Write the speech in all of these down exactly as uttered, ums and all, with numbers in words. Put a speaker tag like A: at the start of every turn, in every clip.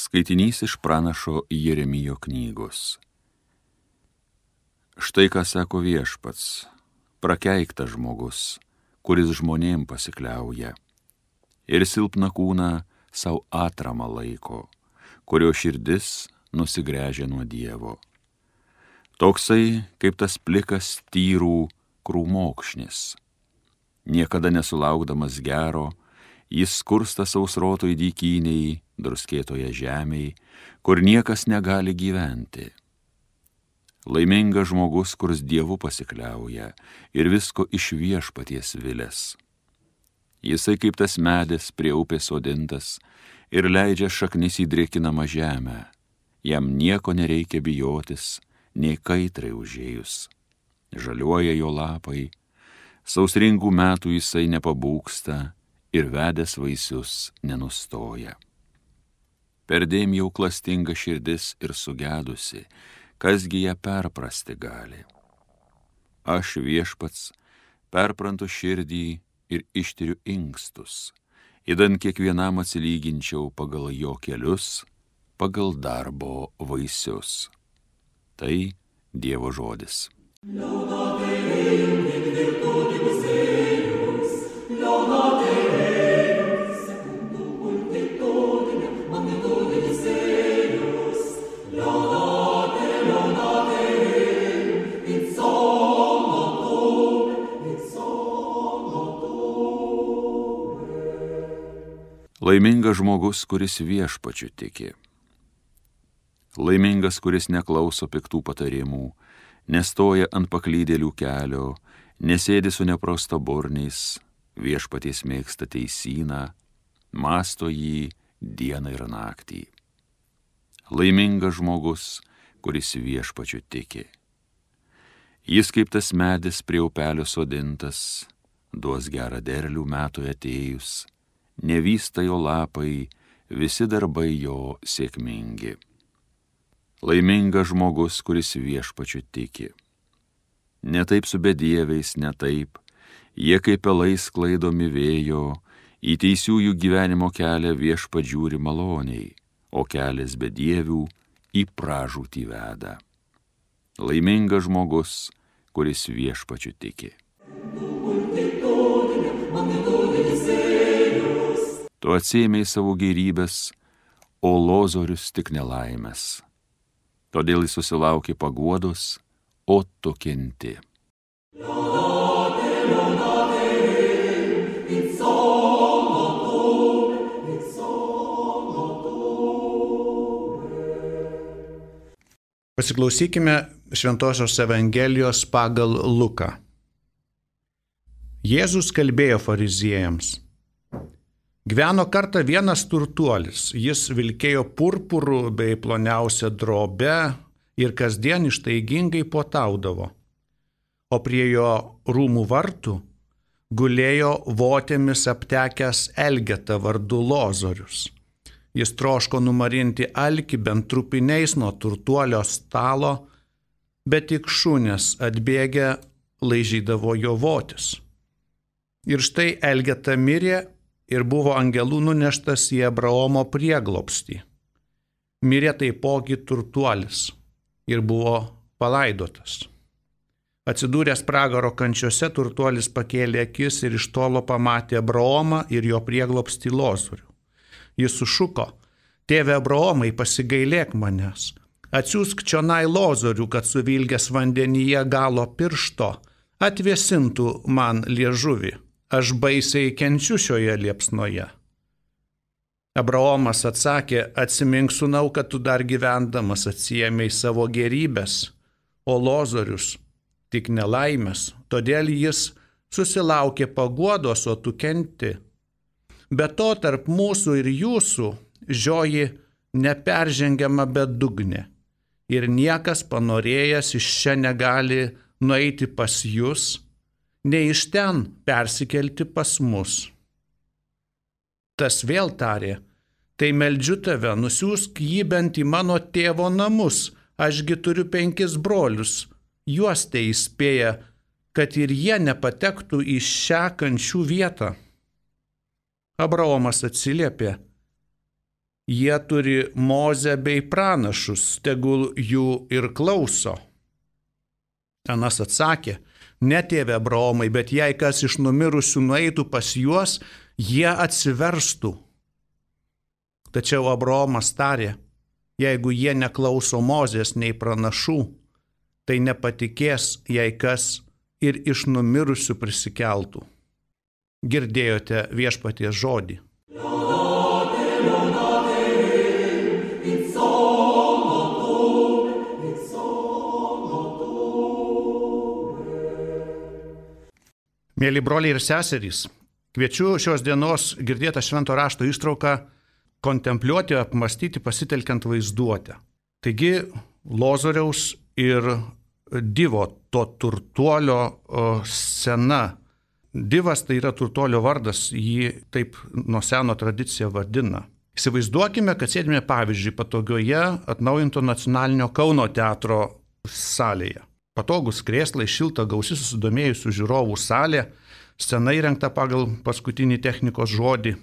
A: Skaitinys iš pranašo Jeremijo knygos. Štai ką sako Viešpats, prakeiktas žmogus, kuris žmonėm pasikliauja, ir silpną kūną savo atramą laiko, kurio širdis nusigręžia nuo Dievo. Toksai kaip tas plikas tyrų krūmokšnis. Niekada nesulaukdamas gero, jis skursta sausrotoj dykyniai, druskėtoje žemėj, kur niekas negali gyventi. Laimingas žmogus, kurs Dievu pasikliauja ir visko iš Viešpaties vilės. Jisai kaip tas medis prie upės sodintas ir leidžia šaknis į drėkinamą žemę. Jam nieko nereikia bijotis, nei kaitrai užėjus. Žaliuoja jo lapai, sausringų metų jisai nepabūgsta ir vedęs vaisius nenustoja. Perdėm jau klastinga širdis ir sugedusi, kasgi ją perprasti gali. Aš Viešpats perprantu širdį ir ištiriu inkstus, idant kiekvienam atsilyginčiau pagal jo kelius, pagal darbo vaisius. Tai Dievo žodis. Laimingas žmogus, kuris Viešpačiu tiki. Laimingas, kuris neklauso piktų patarimų, nestoja ant paklydėlių kelio, nesėdi su neprostaburniais, Viešpaties mėgsta teisyną, mąsto jį dieną ir naktį. Laimingas žmogus, kuris Viešpačiu tiki. Jis kaip tas medis prie upelio sodintas, duos gerą derlių metui atėjus, nevysta jo lapai, visi darbai jo sėkmingi. Laimingas žmogus, kuris Viešpačiu tiki. Ne taip su bedieviais, ne taip, jie kaip pelai sklaidomi vėjo, į teisiųjų gyvenimo kelią Viešpats žiūri maloniai, o kelias bedievių į pražūtį veda. Laimingas žmogus, kuris Viešpačiu tiki. Tu atsiėmei savo gėrybės, o lozorius tik nelaimės. Todėl jis susilaukė paguodos, o tu kenti.
B: Pasiklausykime Šventosios Evangelijos pagal Luką. Jėzus kalbėjo fariziejams. Gyveno kartą vienas turtuolis, jis vilkėjo purpurų bei ploniausią drobę ir kasdien ištaigingai puotaudavo. O prie jo rūmų vartų gulėjo votėmis aptekęs Elgeta vardu Lozorius. Jis troško numarinti alkį bent trupiniais nuo turtuolio stalo, bet tik šunės atbėgę laižydavo jo votis. Ir štai Elgeta mirė ir buvo angelų nuneštas į Abraomo prieglobstį. Mirė taipogi turtuolis ir buvo palaidotas. Atsidūręs pragaro kančiose, turtuolis pakėlė akis ir iš tolo pamatė Abraomą ir jo prieglobstį Lozorių. Jis sušuko: Tėve Abraomai, pasigailėk manęs, atsiųsk čionai Lozorių, kad suvilgęs vandenyje galo piršto atvėsintų man liežuvį. Aš baisiai kenčiu šioje liepsnoje. Abraomas atsakė: Atsimink, sūnau, kad tu dar gyvendamas atsiėmei savo gėrybės, o Lozorius tik nelaimės, todėl jis susilaukė paguodos, o tu kenti. Be to tarp mūsų ir jūsų žioji neperžengiama bedugnė, ir niekas panorėjęs iš čia negali nueiti pas jus, nei iš ten persikelti pas mus. Tas vėl tarė: Tai meldžiu tave, nusiųsk jį bent į mano tėvo namus, ašgi turiu penkis brolius, juos tai įspėja, kad ir jie nepatektų į šią kančių vietą. Abraomas atsiliepė: Jie turi Mozę bei pranašus, tegul jų ir klauso. Anas atsakė, ne tėve Abraomai, bet jei kas iš numirusių nueitų pas juos, jie atsiverstų. Tačiau Abraomas tarė, jeigu jie neklauso Mozės nei pranašų, tai nepatikės, jei kas ir iš numirusių prisikeltų. Girdėjote viešpaties žodį. Mėly broliai ir seserys, kviečiu šios dienos girdėtą švento rašto ištrauką kontempliuoti, apmastyti, pasitelkiant vaizduotę. Taigi, Lozoriaus ir Divo, to turtuolio scena. Divas tai yra turtuolio vardas, jį taip nuo seno tradicija vadina. Įsivaizduokime, kad sėdime pavyzdžiui patogioje atnaujinto nacionalinio Kauno teatro salėje. Patogus krėslai, šilta, gausi susidomėjusių žiūrovų salė, scena įrengta pagal paskutinį technikos žodį,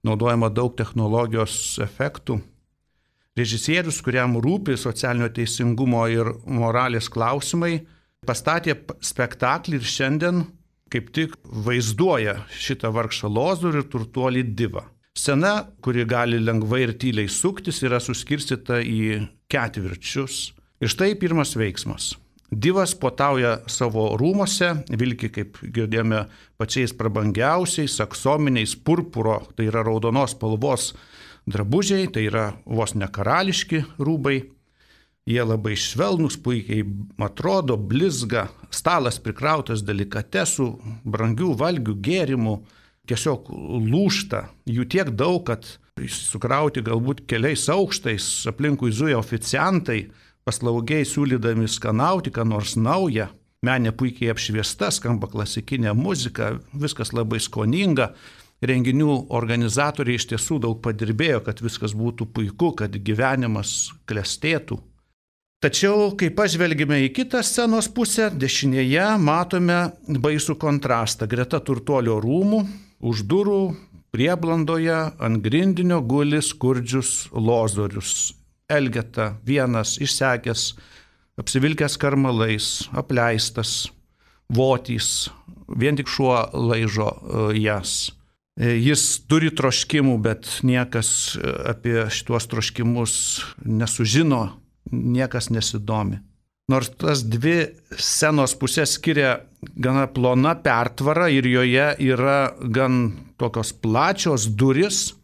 B: naudojama daug technologijos efektų. Režisierius, kuriam rūpi socialinio teisingumo ir moralės klausimai, pastatė spektaklį ir šiandien kaip tik vaizduoja šitą vargšą Lozorių ir turtuolį Divą. Scena, kuri gali lengvai ir tyliai suktis, yra suskirstyta į ketvirčius. Ir štai pirmas veiksmas. Divas puotauja savo rūmose, vilki, kaip girdėjome, pačiais prabangiausiais, aksominiais purpuro, tai yra raudonos spalvos drabužiai, tai yra vos ne karališki rūbai. Jie labai švelnus, puikiai atrodo, blizga, stalas prikrautas delikatesų, brangių valgių gėrimų, tiesiog lūžta. Jų tiek daug, kad sukrauti galbūt keliais aukštais, aplinkui zuja oficiantai, paslaugiai siūlydami skanauti, ką nors naują. Menė puikiai apšviesta, skamba klasikinė muzika, viskas labai skoninga. Renginių organizatoriai iš tiesų daug padirbėjo, kad viskas būtų puiku, kad gyvenimas klestėtų. Tačiau, kai pažvelgime į kitą scenos pusę, dešinėje matome baisų kontrastą. Greta turtuolio rūmų, už durų, prieblandoje, ant grindinio guli skurdžius Lozorius. Elgeta, vienas, išsekęs, apsivilkęs karmalais, apleistas, votys, vien tik šuo laižo jas. Jis turi troškimų, bet niekas apie šituos troškimus nesužino, niekas nesidomi. Nors tas dvi scenos pusės skiria gana plona pertvara ir joje yra gan tokios plačios duris,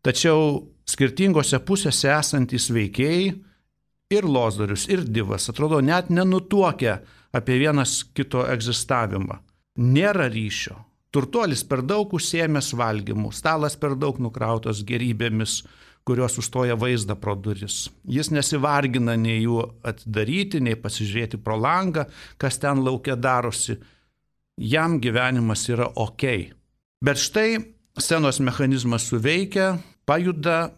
B: tačiau skirtingose pusėse esantys veikėjai ir Lozorius, ir Divas atrodo net nenutuokia apie vienas kito egzistavimą. Nėra ryšio. Turtuolis per daug užsiėmęs valgymų, stalas per daug nukrautas gerybėmis, kurios užstoja vaizdą pro duris. Jis nesivargina nei jų atidaryti, nei pasižiūrėti pro langą, kas ten laukia darosi. Jam gyvenimas yra okei. Bet štai scenos mechanizmas suveikia, pajuda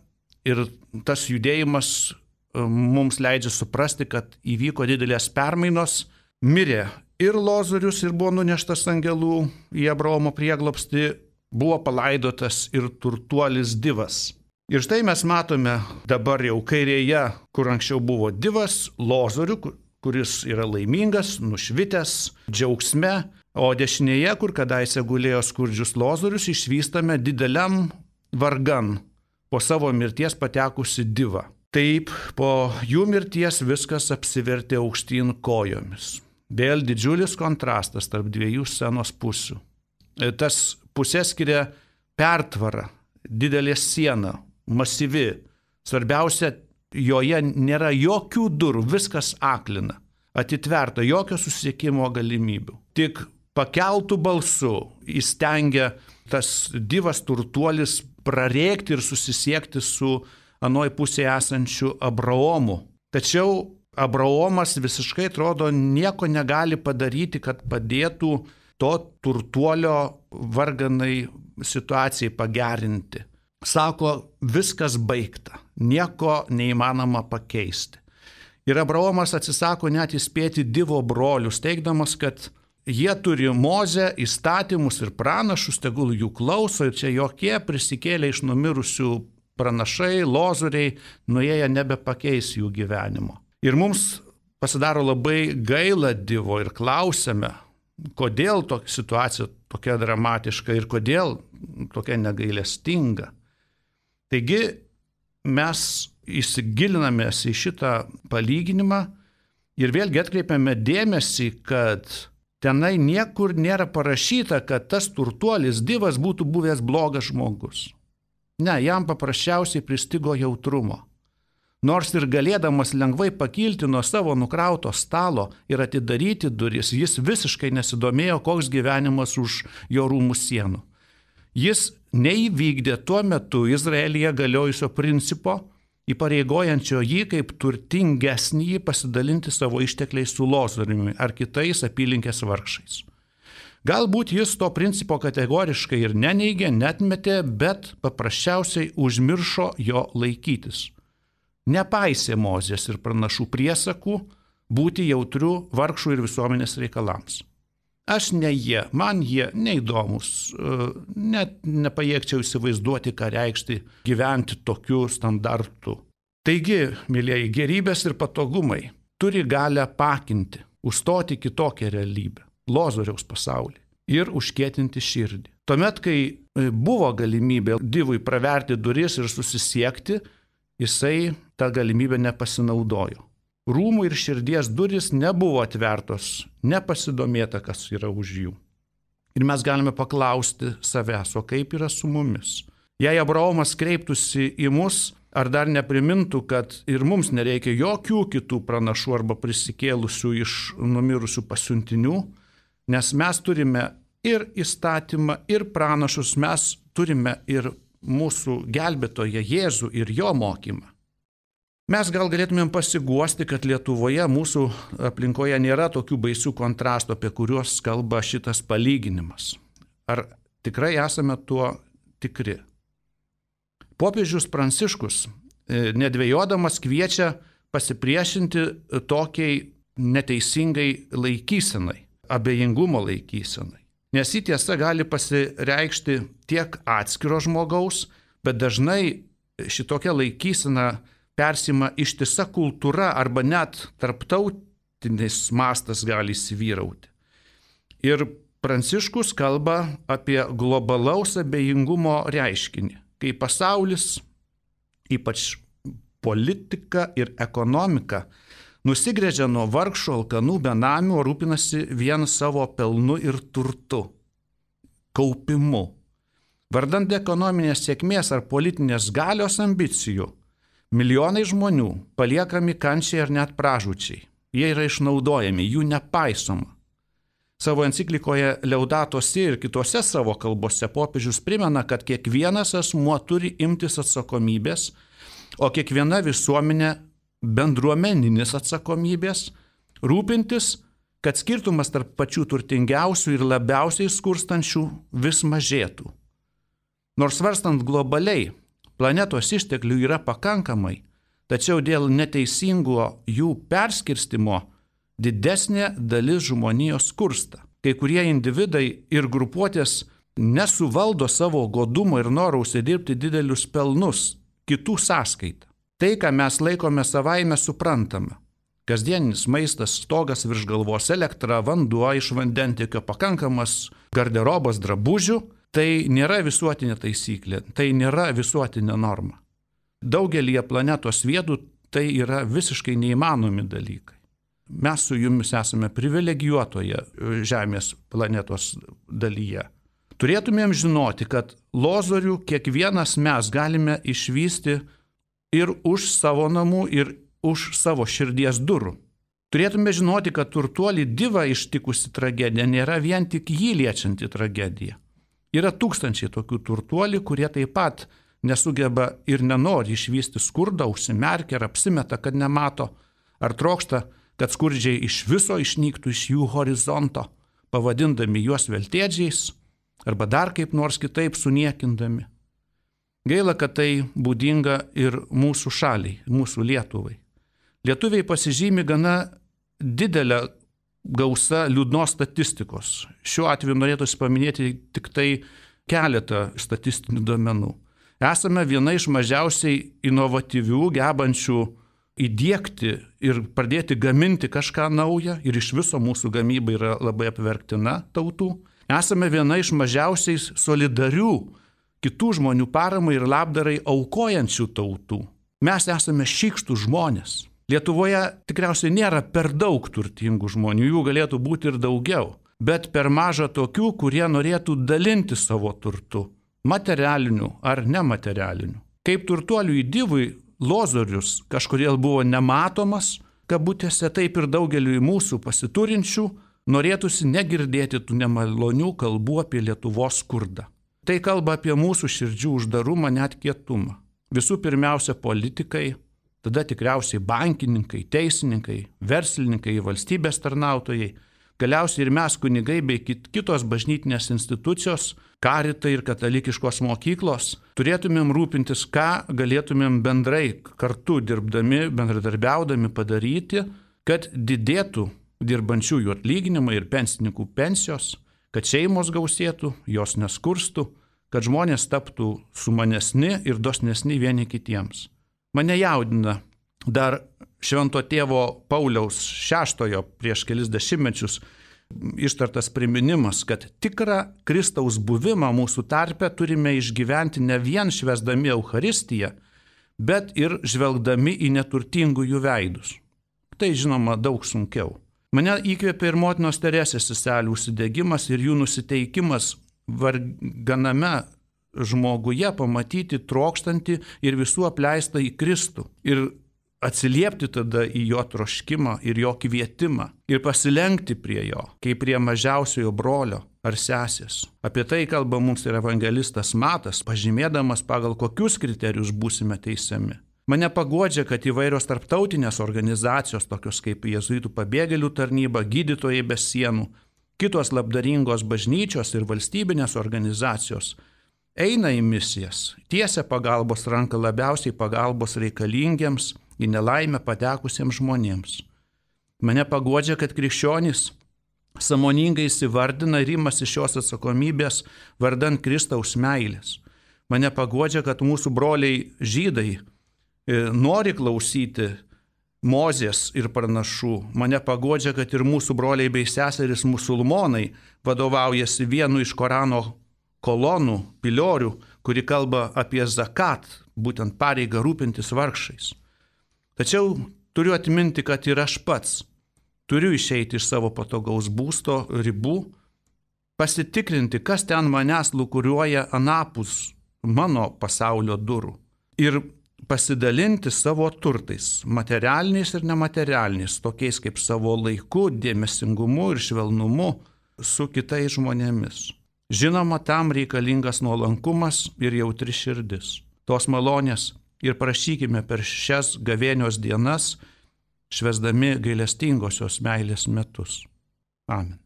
B: ir tas judėjimas mums leidžia suprasti, kad įvyko didelės permainos. Mirė ir Lozorius ir buvo nuneštas angelų į Abraomo prieglobstį, buvo palaidotas ir turtuolis Divas. Ir štai mes matome dabar jau kairėje, kur anksčiau buvo Divas, Lozorių, kuris yra laimingas, nušvitęs, džiaugsme, o dešinėje, kur kadaise gulėjo skurdžius Lozorius, išvystame dideliam vargan po savo mirties patekusi Divą. Taip, po jų mirties viskas apsivertė aukštyn kojomis. Vėl didžiulis kontrastas tarp dviejų scenos pusių. Tas pusės skiria pertvara, didelė siena, masyvi. Svarbiausia, joje nėra jokių durų, viskas aklina, atitverta, jokio susisiekimo galimybių. Tik pakeltų balsu įstengia tas Divas turtuolis prarėkti ir susisiekti su anoj pusėje esančiu Abraomu. Tačiau Abraomas visiškai atrodo nieko negali padaryti, kad padėtų to turtuolio varganai situacijai pagerinti. Sako, viskas baigta, nieko neįmanoma pakeisti. Ir Abraomas atsisako net įspėti Divo brolius, teigdamas, kad jie turi Mozę, įstatymus ir pranašus, tegul jų klauso, ir čia jokie prisikėlę iš numirusių pranašai, lozoriai, nuėję nebepakeis jų gyvenimo. Ir mums pasidaro labai gaila Dievo ir klausiame, kodėl tokia situacija tokia dramatiška ir kodėl tokia negailestinga. Taigi mes įsigilinamės į šitą palyginimą ir vėlgi atkreipiame dėmesį, kad tenai niekur nėra parašyta, kad tas turtuolis Dievas būtų buvęs blogas žmogus. Ne, jam paprasčiausiai pristigo jautrumo. Nors ir galėdamas lengvai pakilti nuo savo nukrauto stalo ir atidaryti duris, jis visiškai nesidomėjo, koks gyvenimas už jo rūmų sienų. Jis neįvykdė tuo metu Izraelyje galiojusio principo, įpareigojančio jį kaip turtingesnį pasidalinti savo ištekliais su lozoriumi ar kitais apylinkės vargšais. Galbūt jis to principo kategoriškai ir neneigė, netmetė, bet paprasčiausiai užmiršo jo laikytis. Nepaisė Mozės ir pranašų priesakų būti jautrių vargšų ir visuomenės reikalams. Aš ne jie, man jie neįdomus, net nepajėgčiau įsivaizduoti, ką reikšti gyventi tokiu standartu. Taigi, mylėjai, gerybės ir patogumai turi galę pakinti, užstoti kitokią realybę, lozoriaus pasaulį ir užkietinti širdį. Tuomet, kai buvo galimybė Dievui praverti duris ir susisiekti, jisai tą galimybę nepasinaudojo. Rūmų ir širdies duris nebuvo atvertos, nepasidomėta, kas yra už jų. Ir mes galime paklausti savęs, o kaip yra su mumis? Jei Abraomas kreiptųsi į mus, ar dar neprimintų, kad ir mums nereikia jokių kitų pranašų arba prisikėlusių iš numirusių pasiuntinių, nes mes turime ir įstatymą, ir pranašus, mes turime ir mūsų gelbėtoją Jėzų ir jo mokymą. Mes gal galėtumėm pasiguosti, kad Lietuvoje mūsų aplinkoje nėra tokių baisių kontrastų, apie kuriuos kalba šitas palyginimas. Ar tikrai esame tuo tikri? Popiežius Pranciškus, nedvejodamas, kviečia pasipriešinti tokiai neteisingai laikysenai, abejingumo laikysenai. Nes ji tiesa gali pasireikšti tiek atskiro žmogaus, bet dažnai šitokia laikysena persima ištisa kultūra arba net tarptautinis mastas gali įsivyrauti. Ir Pranciškus kalba apie globalaus abejingumo reiškinį, kai pasaulis, ypač politika ir ekonomika, nusigręžia nuo vargšų, alkanų, benamių, o rūpinasi vien savo pelnu ir turtu, kaupimu. Vardant ekonominės sėkmės ar politinės galios ambicijų, milijonai žmonių paliekami kančiai ar net pražūčiai. Jie yra išnaudojami, jų nepaisoma. Savo enciklikoje Laudato Si ir kitose savo kalbose popiežius primena, kad kiekvienas asmuo turi imtis atsakomybės, o kiekviena visuomenė bendruomeninis atsakomybės, rūpintis, kad skirtumas tarp pačių turtingiausių ir labiausiai skurstančių vis mažėtų. Nors svarstant globaliai, planetos išteklių yra pakankamai, tačiau dėl neteisingo jų perskirstimo didesnė dalis žmonijos skursta. Kai kurie individai ir grupuotės nesuvaldo savo godumo ir noro užsidirbti didelius pelnus kitų sąskaitą. Tai, ką mes laikome savaime suprantama. Kasdieninis maistas, stogas virš galvos, elektra, vanduo iš vandentiekio, pakankamas garderobas drabužių, tai nėra visuotinė taisyklė, tai nėra visuotinė norma. Daugelįje planetos vietų tai yra visiškai neįmanomi dalykai. Mes su jumis esame privilegijuotoje Žemės planetos dalyje. Turėtumėm žinoti, kad lozorių kiekvienas mes galime išvysti ir už savo namų, ir už savo širdies durų. Turėtume žinoti, kad turtuolį Dievą ištikusi tragedija nėra vien tik jį liečianti tragedija. Yra tūkstančiai tokių turtuolių, kurie taip pat nesugeba ir nenori išvysti skurdą, užsimerkia ar apsimeta, kad nemato, ar trokšta, kad skurdžiai iš viso išnyktų iš jų horizonto, pavadindami juos veltėdžiais, arba dar kaip nors kitaip suniekindami. Gaila, kad tai būdinga ir mūsų šaliai, mūsų Lietuvai. Lietuviai pasižymi gana didelę gausą liūdnos statistikos. Šiuo atveju norėtųsi paminėti tik tai keletą statistinių duomenų. Esame viena iš mažiausiai inovatyvių, gebančių įdėkti ir pradėti gaminti kažką naują ir iš viso mūsų gamyba yra labai apverktina tautų. Esame viena iš mažiausiai solidarių kitų žmonių paramai ir labdarai aukojančių tautų. Mes esame šykštų žmonės. Lietuvoje tikriausiai nėra per daug turtingų žmonių, jų galėtų būti ir daugiau, bet per maža tokių, kurie norėtų dalinti savo turtu, materialiniu ar nematerialiniu. Kaip turtuolių įdivui Lozorius kažkodėl buvo nematomas, kabutėse, taip ir daugeliui mūsų pasiturinčių norėtųsi negirdėti tų nemalonių kalbų apie Lietuvos skurdą. Tai kalba apie mūsų širdžių uždarumą, net kietumą. Visų pirmiausia politikai, tada tikriausiai bankininkai, teisininkai, verslininkai, valstybės tarnautojai, galiausiai ir mes kunigai bei kitos bažnytinės institucijos, karitai ir katalikiškos mokyklos, turėtumėm rūpintis, ką galėtumėm bendrai kartu dirbdami, bendradarbiaudami padaryti, kad didėtų dirbančiųjų atlyginimai ir pensininkų pensijos, kad šeimos gausėtų, jos neskurstų, kad žmonės taptų sumanesni ir dosnesni vieni kitiems. Mane jaudina dar Švento tėvo Pauliaus šeštojo prieš kelis dešimtmečius ištartas priminimas, kad tikrą Kristaus buvimą mūsų tarpe turime išgyventi ne vien švęsdami Eucharistiją, bet ir žvelgdami į neturtingųjų veidus. Tai žinoma daug sunkiau. Mane įkvėpė ir motinos Teresės seselių užsidegimas ir jų nusiteikimas varganame žmoguje pamatyti trokštantį ir visų apleistą į Kristų ir atsiliepti tada į jo troškimą ir jo kvietimą ir pasilenkti prie jo, kaip prie mažiausiojo brolio ar sesės. Apie tai kalba mums ir evangelistas Matas, pažymėdamas, pagal kokius kriterijus būsime teisiami. Mane paguodžia, kad įvairios tarptautinės organizacijos, tokios kaip Jėzuitų pabėgėlių tarnyba, Gydytojai be sienų, kitos labdaringos bažnyčios ir valstybinės organizacijos eina į misijas, tiesia pagalbos ranką labiausiai pagalbos reikalingiems, į nelaimę patekusiems žmonėms. Mane paguodžia, kad krikščionys sąmoningai įsivardina ir imasi šios atsakomybės vardant Kristaus meilės. Mane paguodžia, kad mūsų broliai žydai nori klausyti Mozės ir pranašų. Mane paguodžia, kad ir mūsų broliai bei seserys musulmonai vadovaujasi vienu iš Korano kolonų, piliorių, kuri kalba apie zakat, būtent pareigą rūpintis vargšais. Tačiau turiu atminti, kad ir aš pats turiu išeiti iš savo patogaus būsto ribų, pasitikrinti, kas ten manęs lūkuriuoja anapus mano pasaulio durų ir pasidalinti savo turtais, materialiniais ir nematerialiniais, tokiais kaip savo laiku, dėmesingumu ir švelnumu su kitais žmonėmis. Žinoma, tam reikalingas nuolankumas ir jautri širdis. Tos malonės ir prašykime per šias gavėnios dienas, švęsdami gailestingosios meilės metus. Amen.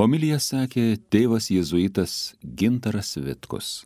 A: Homiliją sakė tėvas jėzuitas Gintaras Vitkus.